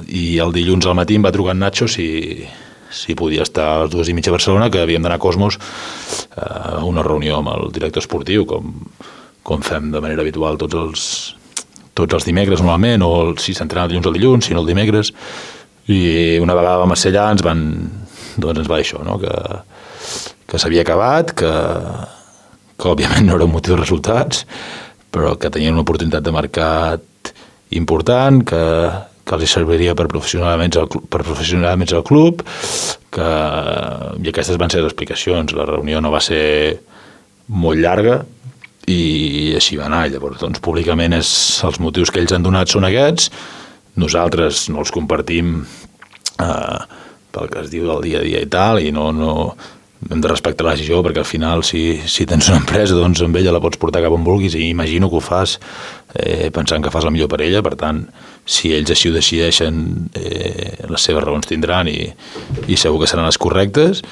i el dilluns al matí em va trucar en Nacho si podia estar a les 2:30 a Barcelona, que havíem d'anar a Cosmos a una reunió amb el director esportiu, com fem de manera habitual tots els dimecres normalment, o si s'entrena el dilluns al dilluns, si no el dimecres. I una vegada vam ser allà ens va dir això, no? Que s'havia acabat, que òbviament no era un motiu de resultats, però que tenien una oportunitat de mercat important, que els serviria per professionalment al club, i aquestes van ser les explicacions. La reunió no va ser molt llarga i així va anar. Llavors, doncs, públicament els motius que ells han donat són aquests. Nosaltres no els compartim pel que es diu del dia a dia i tal, i no hem de respectar la decisió, perquè al final si tens una empresa, doncs amb ella la pots portar cap on vulguis, i imagino que ho fas pensant que fas el millor per ella. Per tant, si ells així ho decideixen, les seves raons tindran i segur que seran les correctes.